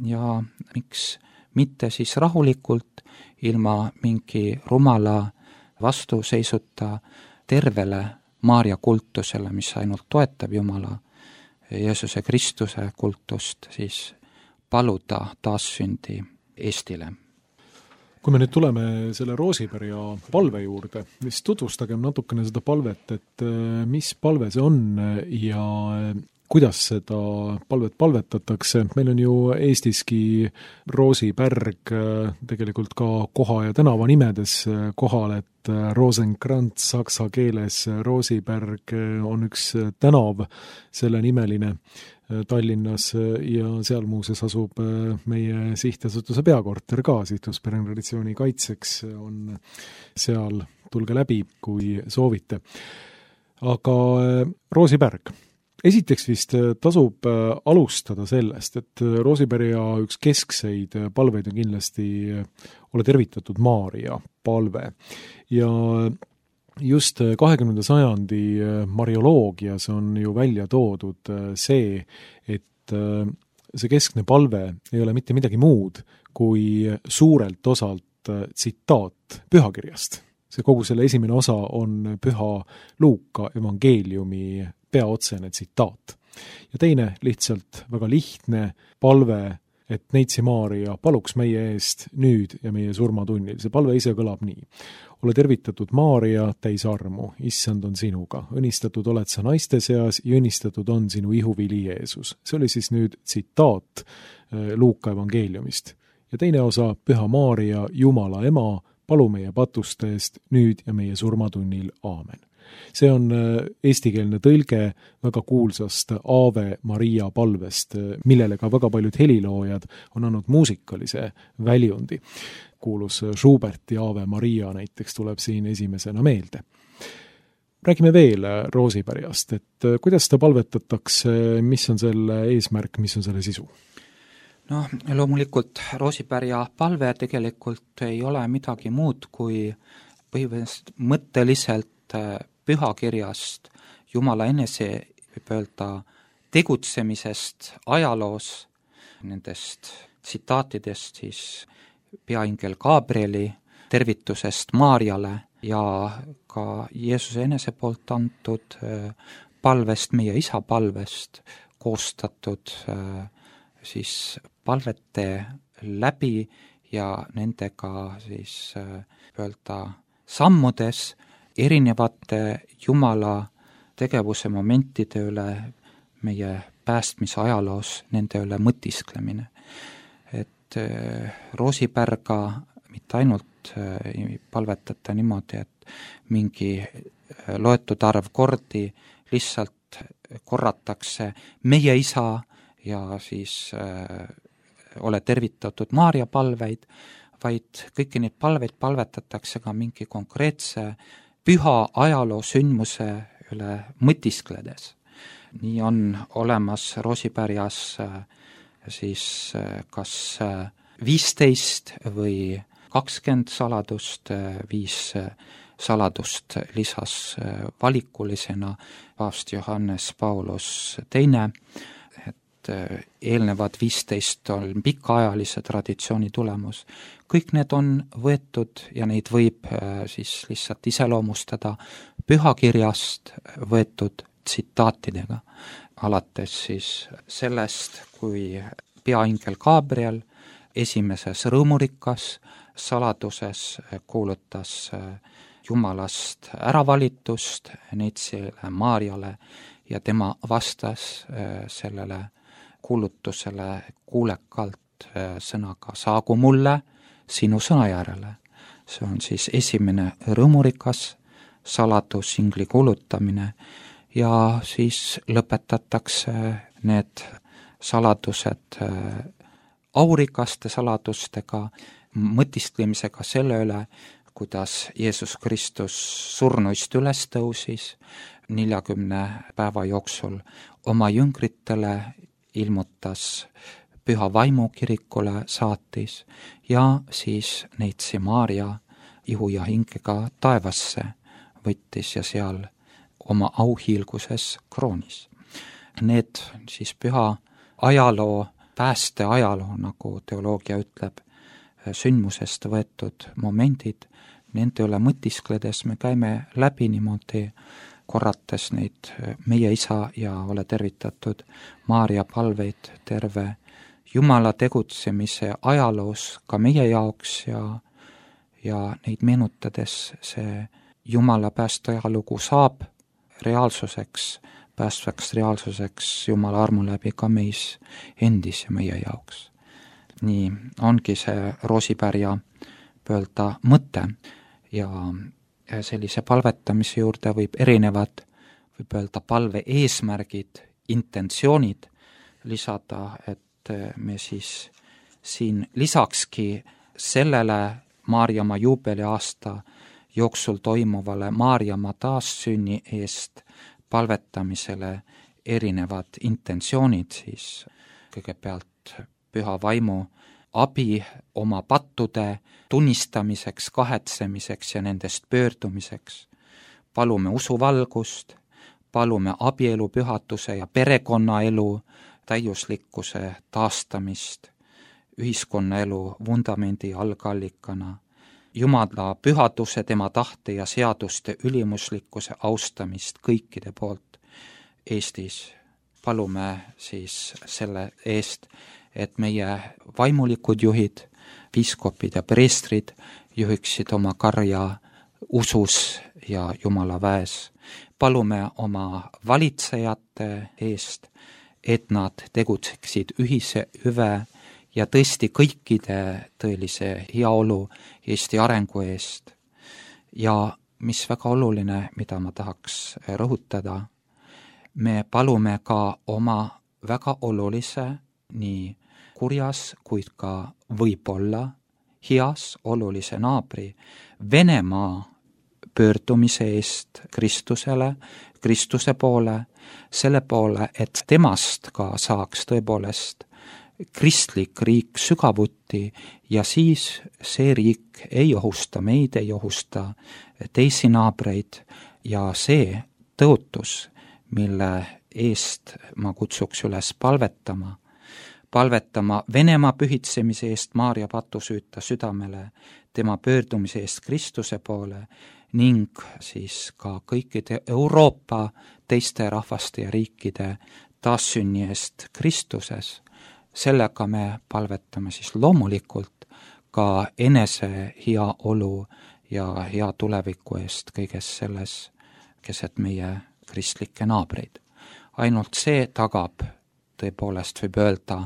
ja miks mitte siis rahulikult, ilma mingi rumala vastuseisuta tervele Maarja kultusele, mis ainult toetab Jumala Jeesuse Kristuse kultust, siis paluda taassündi Eestile. Kui me nüüd tuleme selle Roosipärja palve juurde, siis tutvustagem natukene seda palvet, et mis palve see on ja kuidas seda palvet palvetatakse. Meil on ju Eestiski Roosipärg tegelikult ka koha ja tänava nimedes kohal, et Rosenkrantz saksa keeles, Roosipärg on üks tänav, selle nimeline Tallinnas ja seal muuseas asub meie sihtasutuse peakorter ka, Sihtasutusperede traditsiooni kaitseks on seal, tulge läbi, kui soovite. Aga Roosipärg. Esiteks vist tasub alustada sellest, et Roosipärja üks keskseid palveid on kindlasti Ole tervitatud Maarja palve ja just 20. sajandi marioloogias on ju välja toodud see, et see keskne palve ei ole mitte midagi muud kui suurelt osalt tsitaat pühakirjast. See kogu selle esimene osa on Püha Luuka evangeeliumi peaotsene tsitaat. Ja teine lihtsalt väga lihtne palve, et Neitsi Maarja paluks meie eest nüüd ja meie surmatunnil. See palve ise kõlab nii. Ole tervitatud Maarja, täis armu, issand on sinuga. Õnnistatud oled sa naiste seas ja õnnistatud on sinu ihuvili Jeesus. See oli siis nüüd tsitaat Luuka evangeeliumist. Ja teine osa, Püha Maarja, Jumala ema, palu meie patuste eest nüüd ja meie surmatunnil. Aamen. See on eestikeelne tõlge väga kuulsast Ave Maria palvest, millele ka väga paljud heliloojad on andnud muusikalise väljundi. Kuulus Schuberti Ave Maria näiteks tuleb siin esimesena meelde. Räägime veel Roosipärjast, et kuidas ta palvetatakse, mis on selle eesmärk, mis on selle sisu? No loomulikult Roosipärja palve tegelikult ei ole midagi muud kui mõtteliselt pühakirjast, Jumala enese, võib öelda, tegutsemisest ajaloos, nendest tsitaatidest siis peaingel Gabrieli tervitusest Maarjale ja ka Jeesuse enese poolt antud palvest, meie isa palvest koostatud siis palvete läbi ja nendega siis öelda sammudes erinevate Jumala tegevuse momentide üle meie päästmise ajaloos, nende üle mõtisklemine. Et Roosipärga mitte ainult ei palvetata niimoodi, et mingi loetud arv kordi lihtsalt korratakse meie isa ja siis ole tervitatud Maarja palveid, vaid kõiki neid palveid palvetatakse ka mingi konkreetse püha ajaloo sündmuse üle mõtiskledes. Nii on olemas Roosipärjas siis kas 15 või 20 saladust, 5 saladust lisas valikulisena paavst Johannes Paulus II, eelnevad 15 on pikaajalise traditsiooni tulemus. Kõik need on võetud ja neid võib siis lihtsalt iseloomustada pühakirjast võetud tsitaatidega. Alates siis sellest, kui peaingel Gabriel esimeses rõõmurikas saladuses kuulutas Jumalast äravalitust Neitsile Maarjale ja tema vastas sellele kuulutusele kuulekalt sõnaga saagu mulle sinu sõna järele. See on siis esimene rõõmurikas saladus, ingli kuulutamine ja siis lõpetatakse need saladused aurikaste saladustega, mõtisklemisega selle üle, kuidas Jeesus Kristus surnuist üles tõusis 40 päeva jooksul oma jüngritele ilmutas Püha Vaimu kirikule, saatis ja siis neitsi Maarja ihu ja hingega taevasse võttis ja seal oma auhiilguses kroonis. Need siis püha ajaloo, päästeajaloo, nagu teoloogia ütleb, sündmusest võetud momendid, nende üle mõtiskledes me käime läbi niimoodi, korrates neid meie isa ja ole tervitatud Maarja palveid terve Jumala tegutsemise ajaloos ka meie jaoks ja neid meenutades see Jumala päästeajalugu saab reaalsuseks, päästvaks reaalsuseks Jumala armu läbi ka meis endis ja meie jaoks. Nii ongi see roosipärja pöölda mõte ja sellise palvetamise juurde võib erinevad, võib öelda palve eesmärgid, intentsioonid lisada, et me siis siin lisakski sellele Maarjamaa juubeliaasta jooksul toimuvale Maarjamaa taassünni eest palvetamisele erinevad intentsioonid, siis kõigepealt Püha Vaimu abi oma pattude tunnistamiseks, kahetsemiseks ja nendest pöördumiseks. Palume usuvalgust, palume abielu pühatuse ja perekonnaelu täiuslikkuse taastamist, ühiskonnaelu vundamendi algallikana, Jumala pühaduse, tema tahte ja seaduste ülimuslikkuse austamist kõikide poolt Eestis. Palume siis selle eest, et meie vaimulikud juhid, piiskopid ja preestrid juhiksid oma karja usus ja Jumala väes. Palume oma valitsejate eest, et nad tegutseksid ühise hüve ja tõesti kõikide tõelise heaolu Eesti arengu eest. Ja mis väga oluline, mida ma tahaks rõhutada, me palume ka oma väga olulise, nii kurjas, kuid ka võib-olla heas olulise naabri Venemaa pöördumise eest Kristusele, Kristuse poole, selle poole, et temast ka saaks tõepoolest kristlik riik sügavuti ja siis see riik ei ohusta meid, ei ohusta teisi naabreid ja see tõotus, mille eest ma kutsuks üles palvetama Venemaa pühitsemise eest Maarja patusüüta südamele, tema pöördumise eest Kristuse poole ning siis ka kõikide Euroopa teiste rahvaste ja riikide taassünni eest Kristuses. Sellega me palvetame siis loomulikult ka enese hea olu ja hea tuleviku eest kõiges selles keset meie kristlikke naabreid. Ainult see tagab, tõepoolest võib öelda,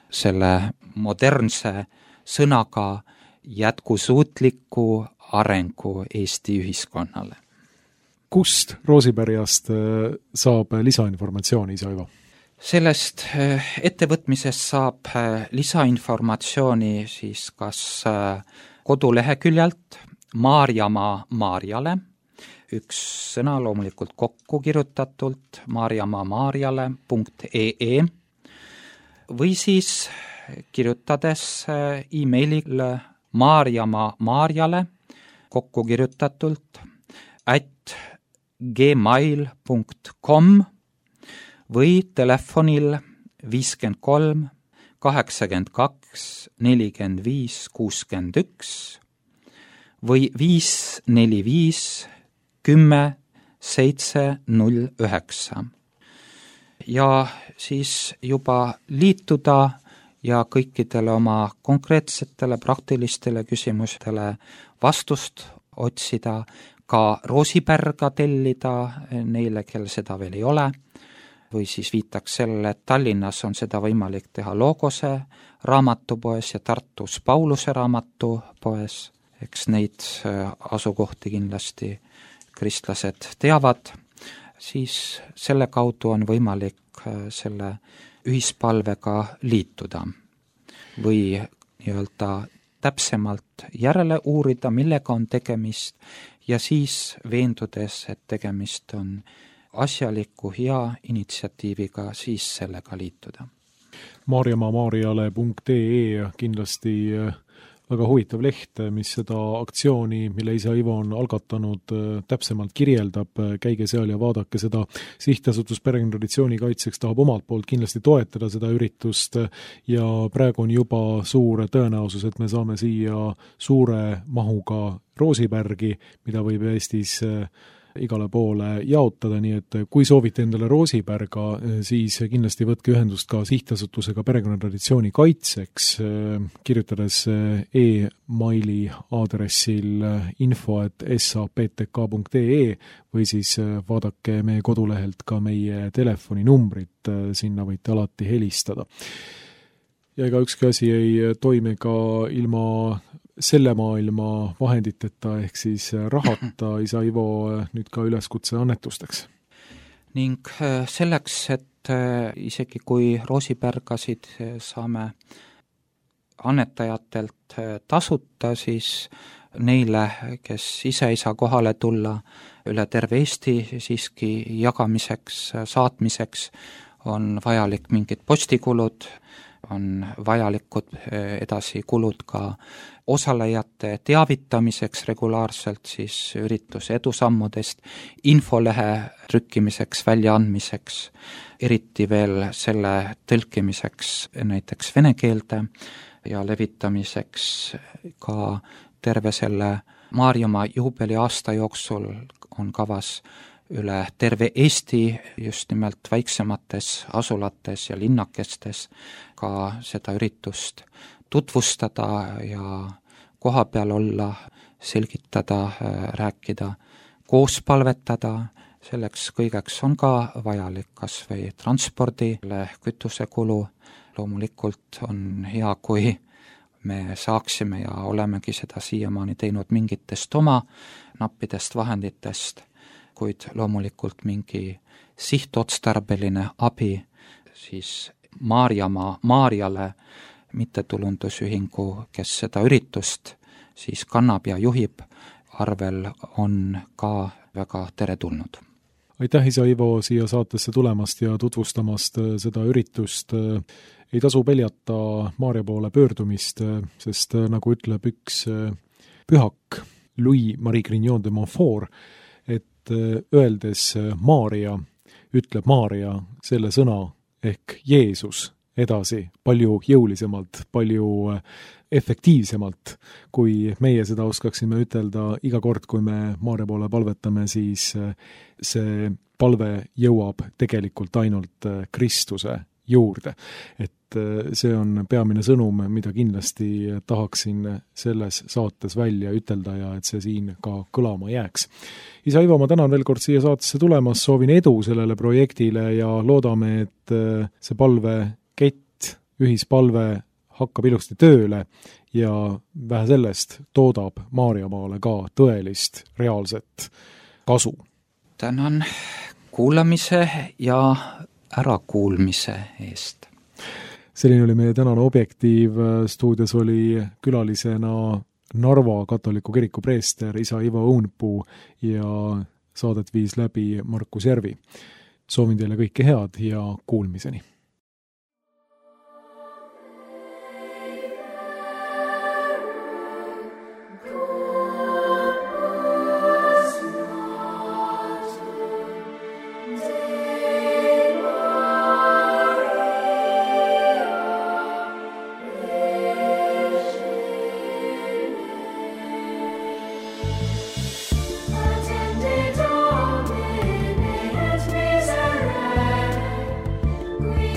selle modernse sõnaga jätkusuutliku arengu Eesti ühiskonnale. Kust roosipärjast saab lisainformatsiooni, isa Ivo? Sellest ettevõtmisest saab lisainformatsiooni siis kas koduleheküljelt Maarjamaa Maarjale, üks sõna loomulikult kokku kirjutatult maarjamaamaarjale.ee või siis kirjutades e-mailile maarjamaamaarjale kokku kirjutatult @gmail.com või telefonil 53 82 45 61 või 545 10 709. Ja siis juba liituda ja kõikidele oma konkreetsetele praktilistele küsimustele vastust otsida, ka roosipärga tellida neile, kel seda veel ei ole, või siis viitaks sellele, et Tallinnas on seda võimalik teha Logose raamatupoes ja Tartus Pauluse raamatupoes, eks neid asukohti kindlasti kristlased teavad, siis selle kaudu on võimalik selle ühispalvega liituda või nii-öelda täpsemalt järele uurida, millega on tegemist ja siis veendudes, et tegemist on asjaliku hea initsiatiiviga, siis sellega liituda. maarjamaamaarjale.ee kindlasti väga huvitav leht, mis seda aktsiooni, mille isa Ivo on algatanud, täpsemalt kirjeldab, käige seal ja vaadake seda. Sihtasutus Perekonnatraditsiooni kaitseks tahab omalt poolt kindlasti toetada seda üritust ja praegu on juba suur tõenäosus, et me saame siia suure mahuga roosipärgi, mida võib Eestis igale poole jaotada, nii et kui soovite endale roosipärga, siis kindlasti võtke ühendust ka sihtasutusega Perekonnatraditsiooni kaitseks, kirjutades e-maili aadressil info@saptk.ee või siis vaadake meie kodulehelt ka meie telefoninumbrit, sinna võite alati helistada. Ja ega ükski asi ei toimi ka ilma selle maailma vahenditeta ehk siis rahata, isa Ivo, nüüd ka üleskutse annetusteks. Ning selleks, et isegi kui roosipärgasid saame annetajatelt tasuta, siis neile, kes ise ei saa kohale tulla üle terve Eesti siiski jagamiseks, saatmiseks, on vajalik mingid postikulud, on vajalikud edasi kulud ka osalejate teavitamiseks regulaarselt siis ürituse edusammudest, infolehe trükkimiseks, väljaandmiseks, eriti veel selle tõlkimiseks näiteks vene keelde ja levitamiseks ka terve selle Maarjamaa juubeliaasta jooksul on kavas üle terve Eesti, just nimelt väiksemates asulates ja linnakestes ka seda üritust tutvustada ja koha peal olla, selgitada, rääkida, koos palvetada, selleks kõigeks on ka vajalik kas või transpordile kütusekulu. Loomulikult on hea, kui me saaksime ja olemegi seda siiamaani teinud mingitest oma nappidest vahenditest, kuid loomulikult mingi sihtotstarbeline abi siis Maarjale mittetulundusühingu, kes seda üritust siis kannab ja juhib, arvel on ka väga teretulnud. Aitäh, isa Ivo, siia saatesse tulemast ja tutvustamast seda üritust. Ei tasu peljata Maarja poole pöördumist, sest nagu ütleb üks pühak Louis-Marie Grignon de Montfort, et öeldes Maarja, ütleb Maarja selle sõna ehk Jeesus edasi palju jõulisemalt, palju efektiivsemalt, kui meie seda oskaksime ütelda iga kord, kui me Maarja poole palvetame, siis see palve jõuab tegelikult ainult Kristuse juurde. Et see on peamine sõnum, mida kindlasti tahaksin selles saates välja ütelda ja et see siin ka kõlama jääks. Isa Ivo, ma tänan veel kord siia saatesse tulemas, soovin edu sellele projektile ja loodame, et see palvekett, ühispalve hakkab ilusti tööle ja vähe sellest toodab Maarjamaale ka tõelist, reaalset kasu. Tänan kuulamise ja ärakuulmise eest. Selline oli meie tänane Objektiiv. Stuudios oli külalisena Narva katoliku kiriku preester isa Ivo Õunpuu ja saadet viis läbi Markus Järvi. Soovin teile kõike head ja kuulmiseni. We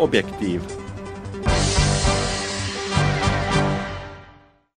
Objektiiv